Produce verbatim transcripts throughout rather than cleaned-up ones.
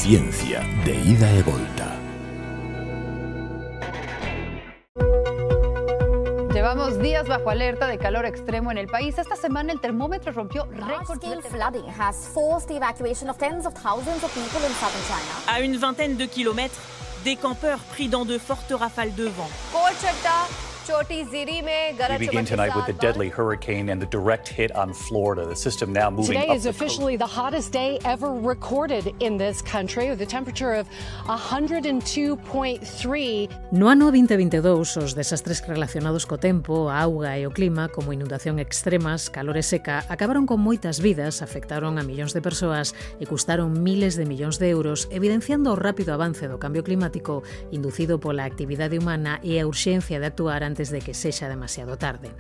Ciencia de ida e volta. Llevamos días bajo alerta de calor extremo en el país. Esta semana el termómetro rompió récords. Large-scale flooding has forced the evacuation of tens of thousands of people in southern China. À une vingtaine de kilomètres, des campeurs pris dans de fortes rafales de vent. We begin tonight with the deadly hurricane and the direct hit on Florida. The system now moving Today up is officially the hottest day ever recorded in this country, with a temperature of one hundred two point three. No ano vinte veintidós, os desastres relacionados co tempo, a auga e o clima, como inundación extremas, calor e seca, acabaron con moitas vidas, afectaron a millóns de persoas e custaron miles de millóns de euros, evidenciando o rápido avance do cambio climático inducido pola actividade humana e a urxencia de actuar antes de que sexa demasiado tarde.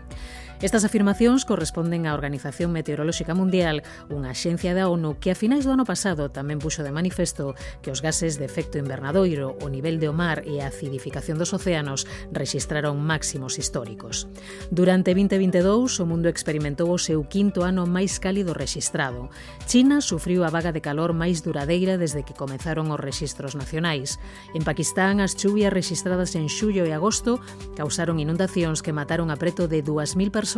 Estas afirmacións corresponden á Organización Meteorolóxica Mundial, unha axencia da ONU que a finais do ano pasado tamén puxo de manifesto que os gases de efecto invernadoiro, o nivel do mar e a acidificación dos océanos rexistraron máximos históricos. Durante vinte veintidós, o mundo experimentou o seu quinto ano máis cálido rexistrado. China sufriu a vaga de calor máis duradeira desde que comezaron os rexistros nacionais. En Pakistán, as chuvias rexistradas en xullo e agosto causaron inundacións que mataron a preto de dúas mil persoas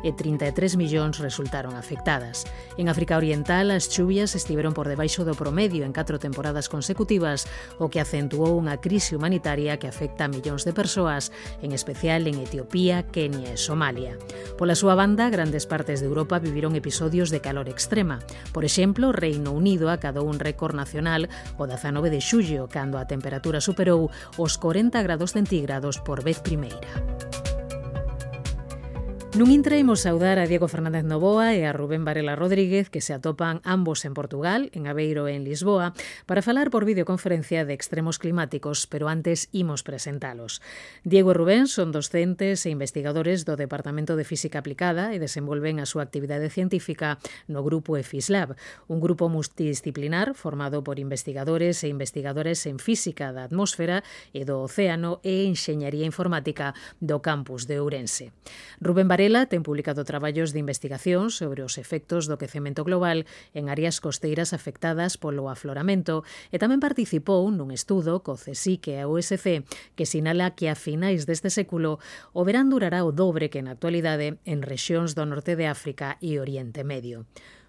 e trinta e tres millóns resultaron afectadas. En África Oriental, as chuvias estiveron por debaixo do promedio en catro temporadas consecutivas, o que acentuou unha crise humanitaria que afecta a millóns de persoas, en especial en Etiopía, Kenia e Somalia. Pola súa banda, grandes partes de Europa viviron episodios de calor extrema. Por exemplo, Reino Unido acadou un récord nacional o dezanove de xullo, cando a temperatura superou os corenta grados centígrados por vez primeira. Nun intre imos saudar a Diego Fernández Novoa e a Rubén Varela Rodríguez, que se atopan ambos en Portugal, en Aveiro e en Lisboa, para falar por videoconferencia de extremos climáticos, pero antes imos presentalos. Diego e Rubén son docentes e investigadores do Departamento de Física Aplicada e desenvolven a súa actividade científica no grupo EFISLab, un grupo multidisciplinar formado por investigadores e investigadoras en física da atmósfera e do océano e enxeñaría informática do campus de Ourense. Rubén Varela ten publicado traballos de investigación sobre os efectos do quecemento global en áreas costeiras afectadas polo afloramento e tamén participou nun estudo co CSIC e a U S C que sinala que a finais deste século o verán durará o dobre que na actualidade en rexións do norte de África e Oriente Medio.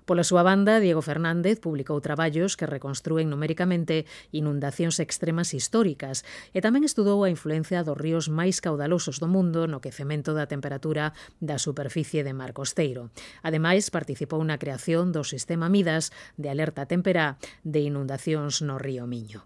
Pola súa banda, Diego Fernández publicou traballos que reconstrúen numéricamente inundacións extremas históricas e tamén estudou a influencia dos ríos máis caudalosos do mundo no quecemento da temperatura da superficie de mar costeiro. Ademais, participou na creación do sistema Midas de alerta temperá de inundacións no río Miño.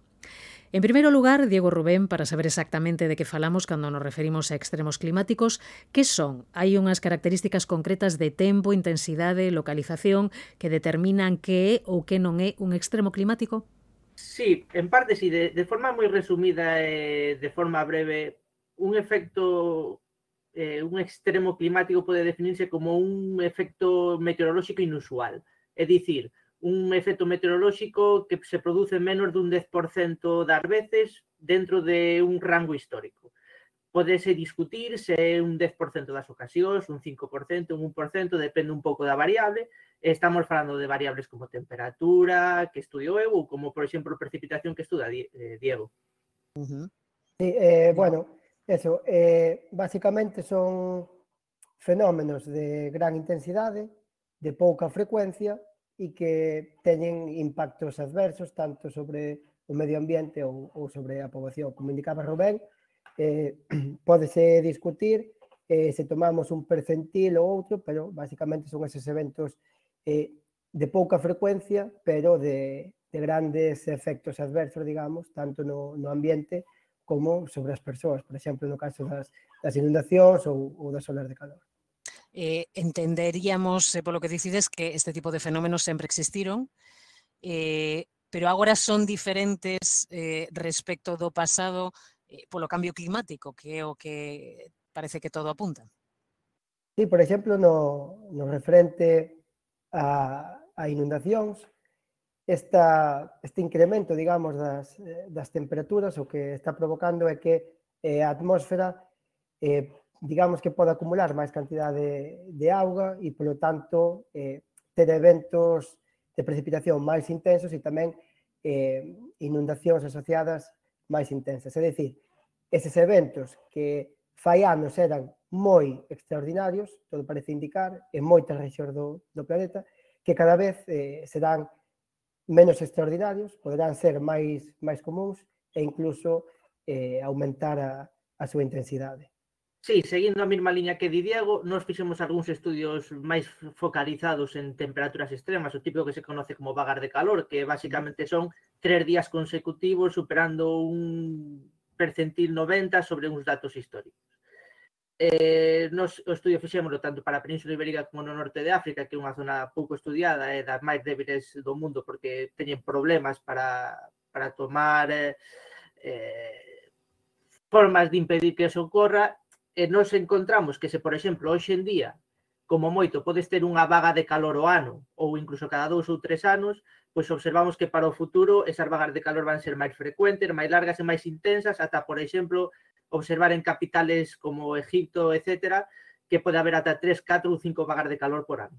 En primeiro lugar, Diego Rubén, para saber exactamente de que falamos cando nos referimos a extremos climáticos, que son? Hai unhas características concretas de tempo, intensidade, localización que determinan que é ou que non é un extremo climático? Sí, en parte sí. De, de forma moi resumida e de forma breve, un efecto, eh, un extremo climático pode definirse como un efecto meteorolóxico inusual. É dicir, un efecto meteorolóxico que se produce menos dun dez por cento das veces dentro de un rango histórico. Podese discutir se é un dez por cento das ocasións, un cinco por cento, un un por cento, depende un pouco da variable. Estamos falando de variables como temperatura, que estudio eu, ou como, por exemplo, precipitación que estuda Diego. Uh-huh. Sí, eh, bueno, eso, eh, básicamente son fenómenos de gran intensidade, de pouca frecuencia, e que teñen impactos adversos tanto sobre o medio ambiente ou, ou sobre a poboación. Como indicaba Rubén, eh, pódese discutir eh, se tomamos un percentil ou outro, pero basicamente son eses eventos eh, de pouca frecuencia, pero de, de grandes efectos adversos, digamos, tanto no, no ambiente como sobre as persoas, por exemplo, no caso das, das inundacións ou, ou das olas de calor. Eh, entenderíamos, eh, polo que dicides, que este tipo de fenómenos sempre existiron, eh, pero agora son diferentes eh, respecto do pasado eh, polo cambio climático, que é o que parece que todo apunta. Sí, por exemplo, no, no referente a, a inundacións, esta, este incremento, digamos, das, das temperaturas o que está provocando é que eh, a atmósfera eh, digamos que pode acumular máis cantidade de, de auga e, polo tanto, eh, ter eventos de precipitación máis intensos e tamén eh, inundacións asociadas máis intensas. É dicir, eses eventos que fai anos eran moi extraordinarios, todo parece indicar, en moitas rexións do, do planeta, que cada vez eh, serán menos extraordinarios, poderán ser máis, máis comuns e incluso eh, aumentar a, a súa intensidade. Sí, seguindo a mesma liña que di Diego, nós fixemos algúns estudios máis focalizados en temperaturas extremas, o típico que se conoce como vagas de calor, que basicamente son tres días consecutivos superando un percentil noventa sobre uns datos históricos. Eh, nos, o estudio fixémoslo tanto para a Península Ibérica como no norte de África, que é unha zona pouco estudiada e das máis débiles do mundo porque teñen problemas para, para tomar eh, eh, formas de impedir que eso ocorra, e nos encontramos que se, por exemplo, hoxe en día, como moito, podes ter unha vaga de calor o ano ou incluso cada dous ou tres anos, pois observamos que para o futuro esas vagas de calor van ser máis frecuentes, máis largas e máis intensas, ata, por exemplo, observar en capitales como Egipto, etcétera, que pode haber ata tres, catro ou cinco vagas de calor por ano.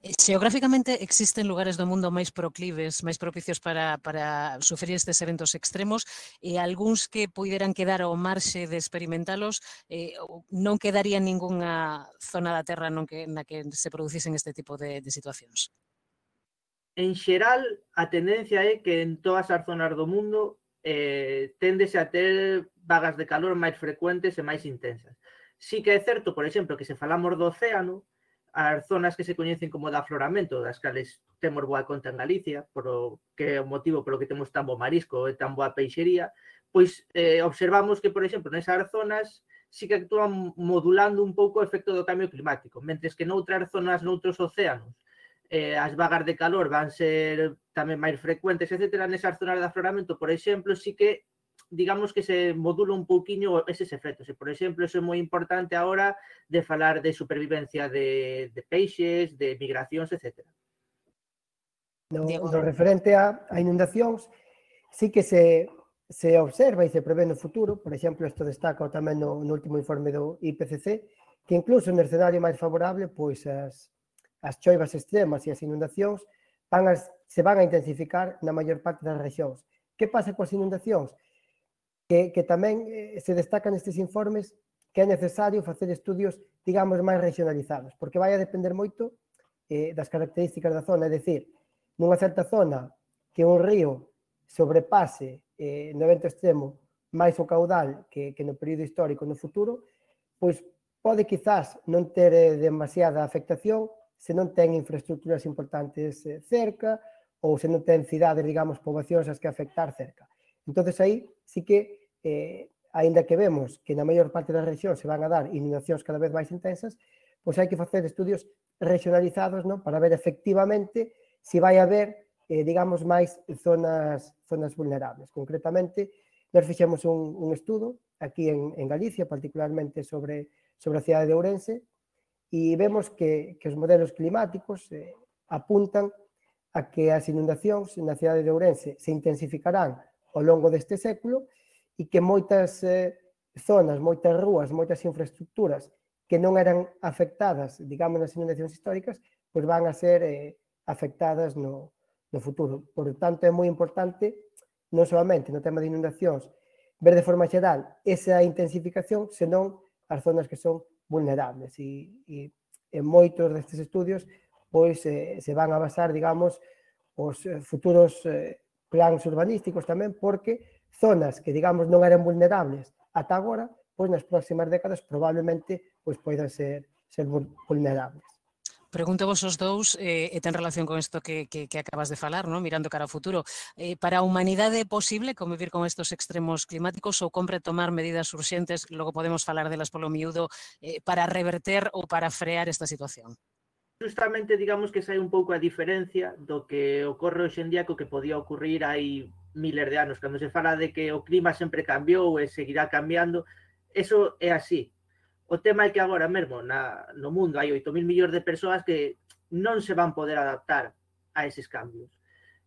Xeográficamente existen lugares do mundo máis proclives, máis propicios para, para sufrir estes eventos extremos e algúns que puderan quedar ao marxe de experimentalos, eh, non quedaría ningunha zona da Terra non que, na que se producisen este tipo de, de situacións. En xeral, a tendencia é que en todas as zonas do mundo eh, téndese a ter vagas de calor máis frecuentes e máis intensas. Sí que é certo, por exemplo, que se falamos do océano, as zonas que se coñecen como de afloramento, das cales temos boa conta en Galicia, por o que é o motivo polo que temos tan bo marisco e tan boa peixería, pois eh, observamos que, por exemplo, nesas zonas sí que actúan modulando un pouco o efecto do cambio climático, mentres que noutras zonas, noutros océanos, eh, as vagas de calor van ser tamén máis frecuentes, etcétera. Nesas zonas de afloramento, por exemplo, sí que digamos que se modula un pouquiño eses efectos. E, por exemplo, eso é moi importante agora de falar de supervivencia de, de peixes, de migracións, etcétera. No, no referente a, a inundacións, sí que se, se observa e se prevé no futuro, por exemplo, isto destaca tamén no, no último informe do I P C C, que incluso no escenario máis favorable, pois as, as choivas extremas e as inundacións van a, se van a intensificar na maior parte das rexións. Que pasa coas inundacións? Que, que tamén eh, se destacan nestes informes que é necesario facer estudios, digamos, máis regionalizados, porque vai a depender moito eh, das características da zona, é dicir, nunha certa zona que un río sobrepase eh, no evento extremo máis o caudal que, que no período histórico no futuro, pois pode quizás non ter eh, demasiada afectación se non ten infraestructuras importantes eh, cerca ou se non ten cidades, digamos, poboacións as que afectar cerca. Entonces aí sí que, eh, aínda que vemos que na maior parte das rexións se van a dar inundacións cada vez máis intensas, pois hai que facer estudios regionalizados, non, para ver efectivamente se vai haber, eh, digamos, máis zonas, zonas vulnerables. Concretamente, nós fixemos un, un estudo aquí en, en Galicia, particularmente sobre, sobre a cidade de Ourense, e vemos que, que os modelos climáticos eh, apuntan a que as inundacións na cidade de Ourense se intensificarán ao longo deste século e que moitas eh, zonas, moitas rúas, moitas infraestructuras que non eran afectadas, digamos, nas inundacións históricas, pois van a ser eh, afectadas no, no futuro. Por tanto, é moi importante, non solamente no tema de inundacións, ver de forma xeral esa intensificación, senón as zonas que son vulnerables. E, e en moitos destes estudios pois eh, se van a basar, digamos, os futuros eh, plans urbanísticos tamén, porque zonas que, digamos, non eran vulnerables ata agora, pois nas próximas décadas probablemente pois poidan ser, ser vulnerables. Pregunto vos os dous, eh, e ten relación con isto que, que, que acabas de falar, ¿no? Mirando cara ao futuro. Eh, para a humanidade é posible convivir con estos extremos climáticos ou compre tomar medidas urxentes, logo podemos falar delas polo miúdo, eh, para reverter ou para frear esta situación? Justamente, digamos que sai un pouco a diferencia do que ocorre hoxe en día co que podía ocurrir hai miles de anos. Cando se fala de que o clima sempre cambiou e seguirá cambiando, eso é así. O tema é que agora mesmo na, no mundo hai oito mil millóns de persoas que non se van poder adaptar a eses cambios.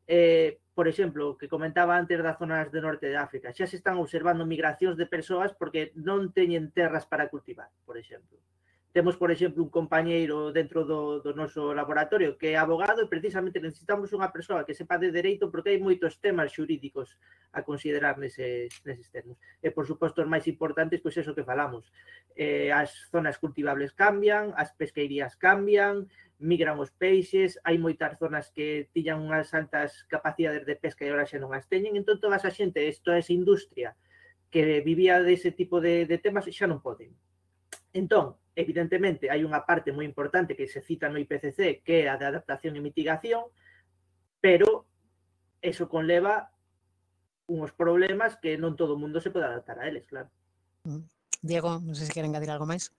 Eh, por exemplo, que comentaba antes das zonas do norte de África, xa se están observando migracións de persoas porque non teñen terras para cultivar, por exemplo. Temos, por exemplo, un compañeiro dentro do, do noso laboratorio que é abogado e precisamente necesitamos unha persoa que sepa de dereito porque hai moitos temas xurídicos a considerar neses, neses termos. E, por suposto, os máis importantes, pois eso que falamos. Eh, as zonas cultivables cambian, as pesqueirías cambian, migran os peixes, hai moitas zonas que tiñan unhas altas capacidades de pesca e agora xa non as teñen, entón toda esa xente, toda esa industria que vivía dese tipo de, de temas xa non poden. Entón, evidentemente, hai unha parte moi importante que se cita no I P C C, que é a de adaptación e mitigación, pero eso conleva uns problemas que non todo o mundo se pode adaptar a eles, claro. Diego, non sei se queren engadir algo máis.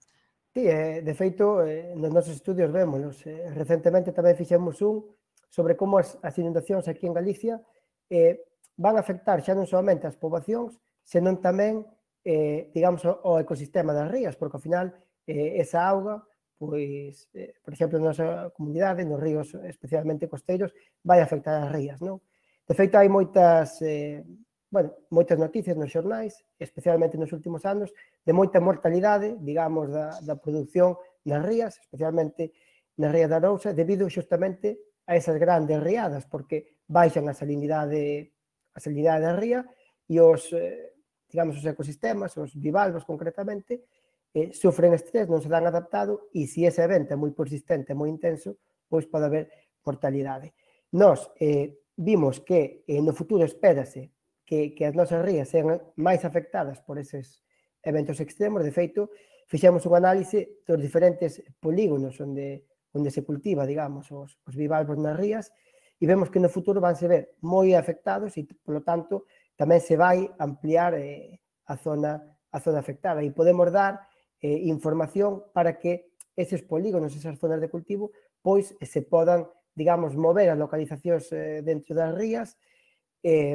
Sí, eh, de feito, eh, nos nosos estudios vémonos. Eh, recentemente tamén fixemos un sobre como as, as inundacións aquí en Galicia eh, van a afectar xa non solamente as poboacións, senón tamén Eh, digamos, o ecosistema das rías, porque ao final eh, esa auga, pois, eh, por exemplo, na nosa comunidade, nos ríos especialmente costeiros, vai afectar as rías, non? De feito, hai moitas, eh, bueno, moitas noticias nos xornais, especialmente nos últimos anos, de moita mortalidade, digamos, da, da produción nas rías, especialmente na ría da Arousa, debido xustamente a esas grandes riadas, porque baixan a salinidade, a salinidade da ría e os... Eh, digamos, os ecosistemas, os bivalvos concretamente, eh, sofren estrés, non se dan adaptado e se ese evento é moi persistente, moi intenso, pois pode haber mortalidade. Nós eh, vimos que eh, no futuro espérase que, que as nosas rías sean máis afectadas por eses eventos extremos. De feito, fixemos un análise dos diferentes polígonos onde, onde se cultiva, digamos, os, os bivalvos nas rías e vemos que no futuro van se ver moi afectados e, polo tanto, tamén se vai ampliar eh, a, zona, a zona afectada e podemos dar eh, información para que eses polígonos, esas zonas de cultivo, pois se podan, digamos, mover as localizacións eh, dentro das rías eh,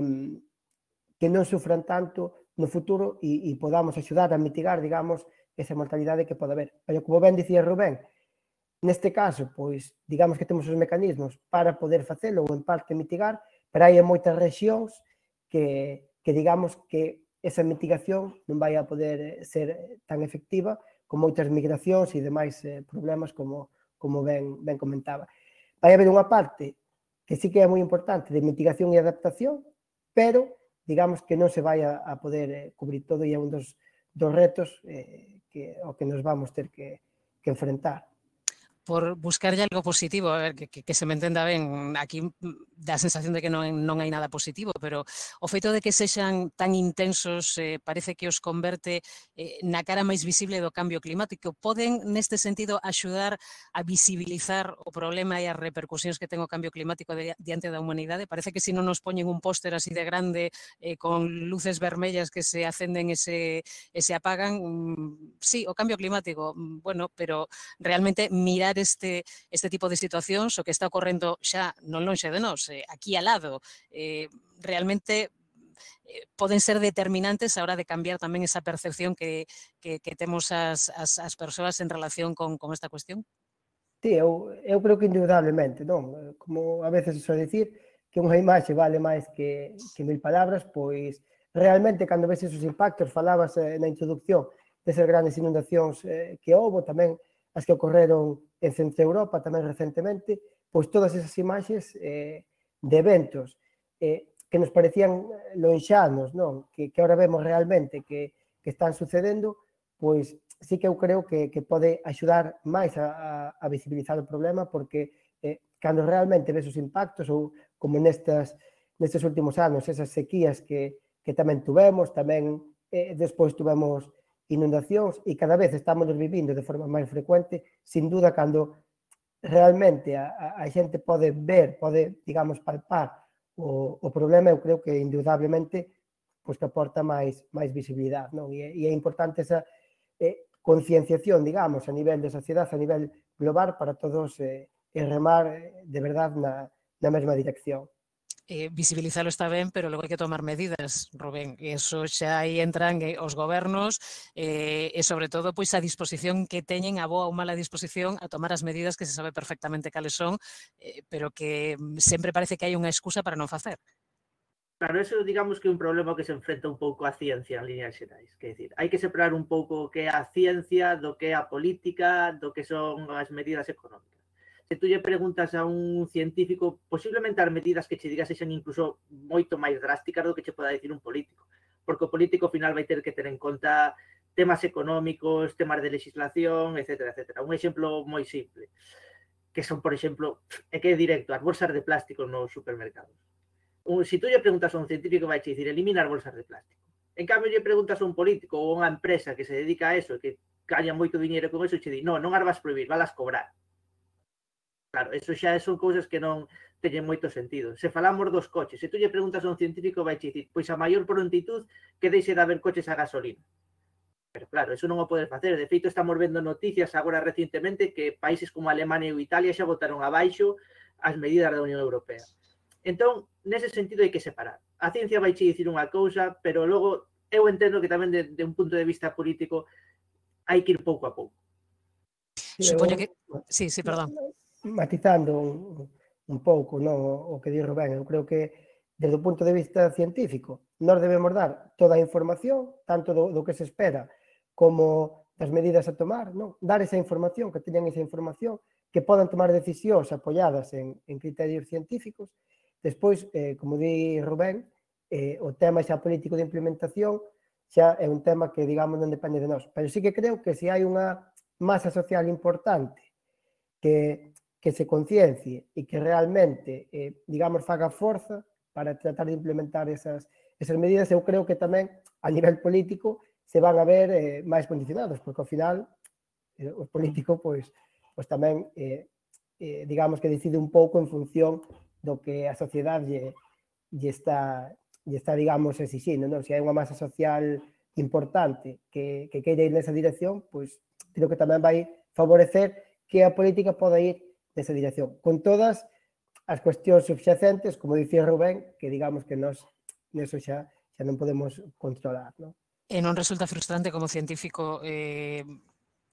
que non sufran tanto no futuro e, e podamos axudar a mitigar, digamos, esa mortalidade que pode haber. Pero, como ben dicía Rubén, neste caso, pois, digamos que temos os mecanismos para poder facelo ou en parte mitigar, pero hai moitas rexións Que, que digamos que esa mitigación non vai a poder ser tan efectiva con moitas migracións e demais eh, problemas como, como ben, ben comentaba. Vai haber unha parte que sí que é moi importante de mitigación e adaptación, pero digamos que non se vai a, a poder eh, cubrir todo e é un dos, dos retos eh, que, ao que nos vamos ter que, que enfrentar. Por buscarlle algo positivo, a ver, que, que, que se me entenda ben, aquí dá a sensación de que non, non hai nada positivo, pero o feito de que sexan tan intensos eh, parece que os converte eh, na cara máis visible do cambio climático. Poden, neste sentido, axudar a visibilizar o problema e as repercusións que ten o cambio climático de, diante da humanidade? Parece que se non nos poñen un póster así de grande eh, con luces vermellas que se acenden e se, e se apagan, mm, sí, o cambio climático, mm, bueno, pero realmente mirar Este, este tipo de situacións, o que está ocorrendo xa non lonxe de nós, eh, aquí al lado, eh, realmente eh, poden ser determinantes a hora de cambiar tamén esa percepción que, que, que temos as, as, as persoas en relación con, con esta cuestión? Sí, eu, eu creo que indudablemente, non? Como a veces se soe dicir que unha imaxe vale máis que, que mil palabras, pois realmente cando ves esos impactos, falabas eh, na introducción desas grandes inundacións eh, que houve, tamén as que ocorreron en Centro Europa tamén recentemente, pois todas esas imaxes eh, de eventos eh, que nos parecían lonxanos, non? Que, que ahora vemos realmente que, que están sucedendo, pois sí que eu creo que, que pode axudar máis a, a, a visibilizar o problema, porque eh, cando realmente ves os impactos, ou como nestas, nestes últimos anos, esas sequías que, que tamén tuvemos, tamén eh, despois tuvemos inundacións e cada vez estamos vivindo de forma máis frecuente, sin duda, cando realmente a, a xente pode ver, pode, digamos, palpar o, o problema, eu creo que indudablemente pois que aporta máis, máis visibilidade, non? E, e é importante esa eh, concienciación, digamos, a nivel de sociedade, a nivel global, para todos eh, e remar eh, de verdade na, na mesma dirección. Eh, visibilizalo está ben, pero logo hai que tomar medidas, Rubén, e eso xa aí entran eh, os gobernos eh, e sobre todo pois a disposición que teñen, a boa ou mala disposición a tomar as medidas que se sabe perfectamente cales son, eh, pero que sempre parece que hai unha excusa para non facer. Claro, eso digamos que é un problema que se enfrenta un pouco a ciencia en líneas xerais. Que decir, hai que separar un pouco o que é a ciencia do que é a política, do que son as medidas económicas. Se tú lle preguntas a un científico, posiblemente as medidas que che digas sexan incluso moito máis drásticas do que che poda dicir un político. Porque o político ao final vai ter que ter en conta temas económicos, temas de legislación, etcétera, etcétera. Un exemplo moi simple, que son, por exemplo, é que é directo, as bolsas de plástico nos supermercados. Se tú lle preguntas a un científico, vai che dicir eliminar bolsas de plástico. En cambio, lle preguntas a un político ou a unha empresa que se dedica a eso, que gaña moito dinheiro con eso, e che di, non, non as vas prohibir, vas cobrar. Claro, eso xa son cousas que non teñen moito sentido. Se falamos dos coches, se tú lle preguntas a un científico, vai che dicir, pois a maior prontitud que deixe de haber coches a gasolina. Pero claro, eso non o podes facer. De feito, estamos vendo noticias agora recientemente que países como Alemania ou Italia xa botaron abaixo as medidas da Unión Europea. Entón, nese sentido hai que separar. A ciencia vai che dicir unha cousa, pero logo eu entendo que tamén de, de un punto de vista político hai que ir pouco a pouco. Supoño que... Sí, sí, perdón. Matizando un, un pouco, non, o que di Rubén, eu creo que desde o punto de vista científico nós debemos dar toda a información, tanto do, do que se espera como das medidas a tomar, non? Dar esa información, que teñan esa información, que podan tomar decisións apoiadas en, en criterios científicos. Despois, eh, como di Rubén, eh, o tema xa político de implementación xa é un tema que, digamos, non depende de nós. Pero sí que creo que se hai unha masa social importante que, que se conciencie e que realmente, eh, digamos, faga forza para tratar de implementar esas, esas medidas, eu creo que tamén, a nivel político, se van a ver eh, máis condicionados, porque ao final, eh, o político, pois, pois tamén, eh, eh, digamos que decide un pouco en función do que a sociedade lle, lle, está, lle está, digamos, exixindo, non? Se hai unha masa social importante que, que queira ir nesa dirección, pois creo que tamén vai favorecer que a política poda ir nesa dirección. Con todas as cuestións subxacentes, como dicía Rubén, que digamos que nós neso xa, xa non podemos controlar, non? E non resulta frustrante como científico eh,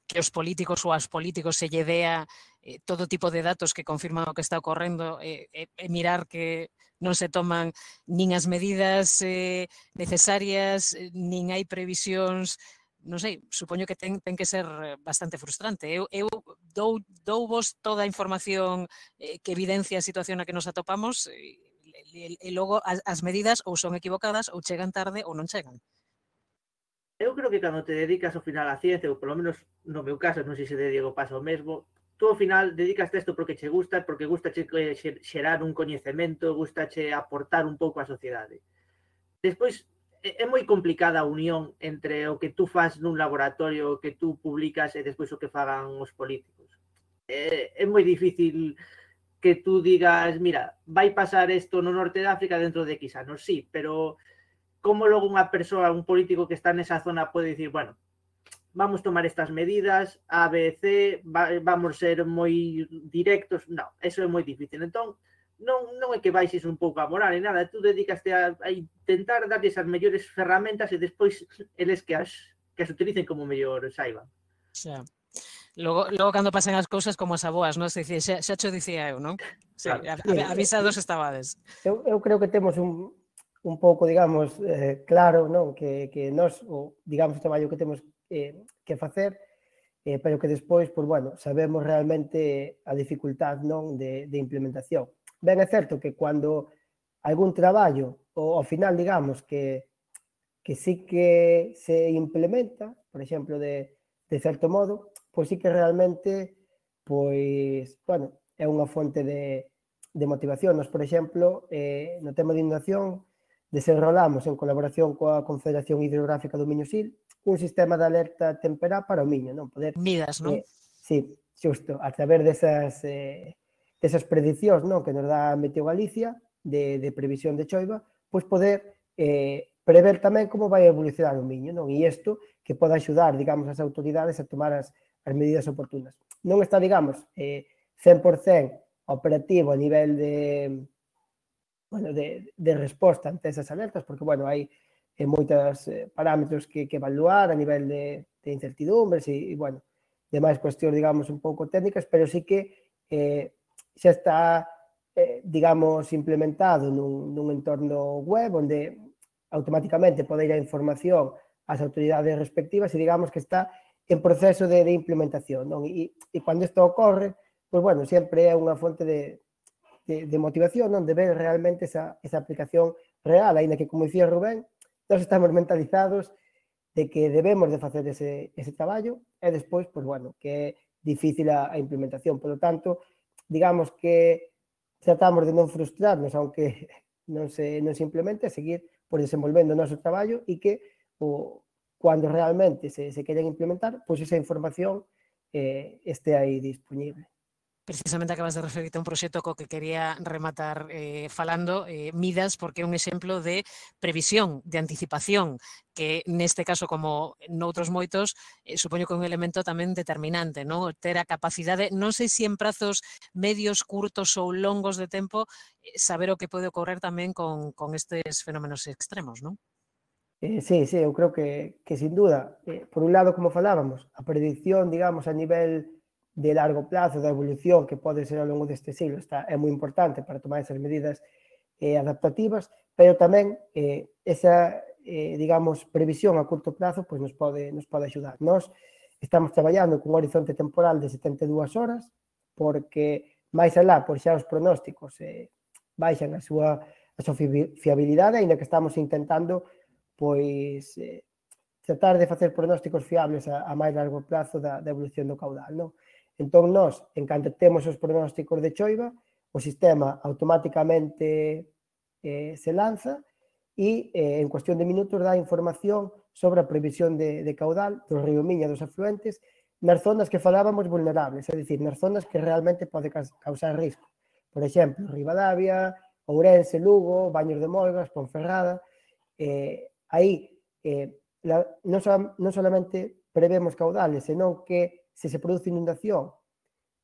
que os políticos ou as políticos se lle dea eh, todo tipo de datos que confirman o que está ocorrendo e eh, eh, mirar que non se toman nin as medidas eh, necesarias, nin hai previsións, non sei, supoño que ten, ten que ser bastante frustrante. Eu, eu dou, dou vos toda a información eh, que evidencia a situación na que nos atopamos e, e, e logo as, as medidas ou son equivocadas ou chegan tarde ou non chegan. Eu creo que cando te dedicas ao final á ciencia, ou polo menos no meu caso, non sei se de Diego pasa o mesmo, tú ao final dedicaste isto porque che gusta, porque gustache xerar un coñecemento, gustache aportar un pouco á sociedade. Despois, é moi complicada a unión entre o que tú fas nun laboratorio, o que tú publicas e despois o que fagan os políticos. É, é moi difícil que tú digas, mira, vai pasar isto no norte de África dentro de X anos, sí, pero como logo unha persoa, un político que está nesa zona pode dicir, bueno, vamos tomar estas medidas, A, B, C, va, vamos ser moi directos. Non, eso é moi difícil. Entón, non, non é que baixes un pouco a moral e nada, tú dedicaste a, a intentar darles as mellores ferramentas e despois eles que as, que as utilicen como mellor saiban. Xa. Logo, logo cando pasan as cousas como as aboas, non? Se dice, xa, xa cho dicía eu, non? Sí, claro. Avisados estabades. Eu, eu creo que temos un, un pouco, digamos, eh, claro, non? Que, que nós, o, digamos, o traballo que temos eh, que facer, eh, pero que despois, pues, bueno, sabemos realmente a dificultad, non? De, de implementación. Ben é certo que cando algún traballo, ou ao final, digamos, que, que sí que se implementa, por exemplo, de, de certo modo, pois sí que realmente, pois, bueno, é unha fonte de, de motivación. Nos, por exemplo, eh, no tema de inundación, desenrolamos en colaboración coa Confederación Hidrográfica do Miño-Sil un sistema de alerta temperá para o Miño, non? Poder, Midas, non? Eh, sí, xusto, a través desas, eh, desas predicións, non? Que nos dá Meteo Galicia, de, de previsión de choiva, pois poder eh, prever tamén como vai evolucionar o Miño, non? E isto que poda axudar, digamos, as autoridades a tomar as, as medidas oportunas. Non está, digamos, eh, cen por cen operativo a nivel de, bueno, de, de resposta ante esas alertas, porque, bueno, hai eh, moitos eh, parámetros que, que evaluar a nivel de, de incertidumbres e, e, bueno, demais cuestións, digamos, un pouco técnicas, pero sí que eh, xa está eh, digamos, implementado nun, nun entorno web onde automáticamente pode ir a información ás autoridades respectivas e digamos que está en proceso de, de implementación, non? E, e cando isto ocorre, pois, bueno, sempre é unha fonte de, de, de motivación, non? De ver realmente esa, esa aplicación real, aínda que, como dicía Rubén, nós estamos mentalizados de que debemos de facer ese, ese traballo e despois, pois, bueno, que é difícil a, a implementación. Por lo tanto, digamos que tratamos de non frustrarnos, aunque non se, non se implemente, seguir por desenvolvendo o noso traballo e que o, cando realmente se, se queren implementar, pois esa información eh, este aí disponible. Precisamente acabas de referirte a un proxecto co que quería rematar eh, falando, eh, Midas, porque é un exemplo de previsión, de anticipación, que neste caso, como noutros moitos, eh, supoño que é un elemento tamén determinante, non? Ter a capacidade, non sei se en prazos medios, curtos ou longos de tempo, eh, saber o que pode ocorrer tamén con, con estes fenómenos extremos, non? Eh, sí, sí, eu creo que, que sin duda, eh, por un lado, como falábamos, a predicción, digamos, a nivel de largo plazo, da evolución que pode ser ao longo deste siglo, está, é moi importante para tomar esas medidas eh, adaptativas, pero tamén eh, esa, eh, digamos, previsión a curto plazo pois nos pode, nos pode axudar. Nós estamos traballando con un horizonte temporal de setenta e dúas horas, porque máis alá, por xa os pronósticos eh, baixan a súa, a súa fiabilidade, ainda que estamos intentando pois eh, tratar de facer pronósticos fiables a, a máis largo plazo da, da evolución do caudal, non? Entón, nós, en canto temos os pronósticos de choiva, o sistema automáticamente eh, se lanza e eh, en cuestión de minutos dá información sobre a previsión de, de caudal do río Miña, dos afluentes, nas zonas que falábamos vulnerables, é dicir, nas zonas que realmente pode causar risco. Por exemplo, Ribadavia, Ourense, Lugo, Baños de Molgas, Ponferrada. Eh, aí, eh, la, non, so, non solamente prevemos caudales, senón que se se produce inundación,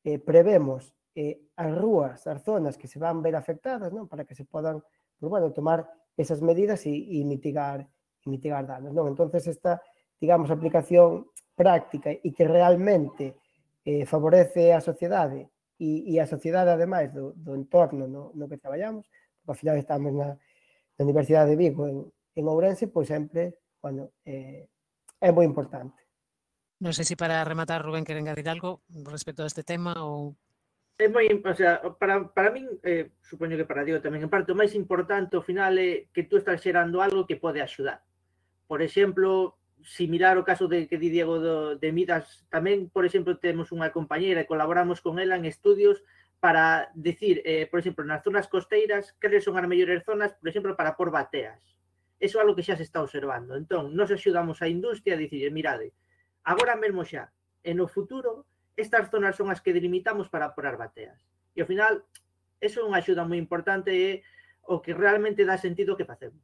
eh, prevemos eh, as rúas, as zonas que se van ver afectadas, non? Para que se podan, pues, bueno, tomar esas medidas e, e mitigar, e mitigar danos, non? Entonces, esta, digamos, aplicación práctica e que realmente eh, favorece a sociedade e, e a sociedade, ademais, do, do entorno no, no que traballamos, porque ao final estamos na, na Universidade de Vigo, en, en Ourense, pois sempre, bueno, eh, é moi importante. Non sei se para rematar, Rubén, queren engadir algo respecto a este tema ou... É moi, o sea, para, para min, eh, supoño que para Diego tamén, en parte, o máis importante ao final é que tú estás xerando algo que pode axudar. Por exemplo, si mirar o caso de que di Diego do, de Midas, tamén, por exemplo, temos unha compañeira e colaboramos con ela en estudios para decir, eh, por exemplo, nas zonas costeiras, cales son as mellores zonas, por exemplo, para por bateas. Eso é algo que xa se está observando. Entón, nos axudamos a industria a dicir, mirade, agora mesmo xa, e no futuro, estas zonas son as que delimitamos para porar bateas. E ao final, eso é unha axuda moi importante e o que realmente dá sentido que facemos.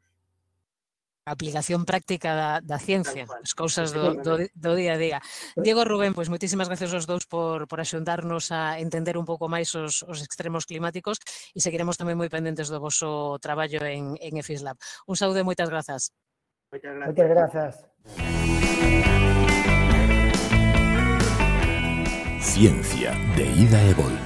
A aplicación práctica da, da ciencia, as cousas do, do, do día a día. Diego, Rubén, pois moitísimas gracias aos dous por, por axudarnos a entender un pouco máis os, os extremos climáticos e seguiremos tamén moi pendentes do vosso traballo en, en EFISLab. Un saúde e moitas grazas. Moitas grazas. Moitas grazas. Ciencia de ida e volta.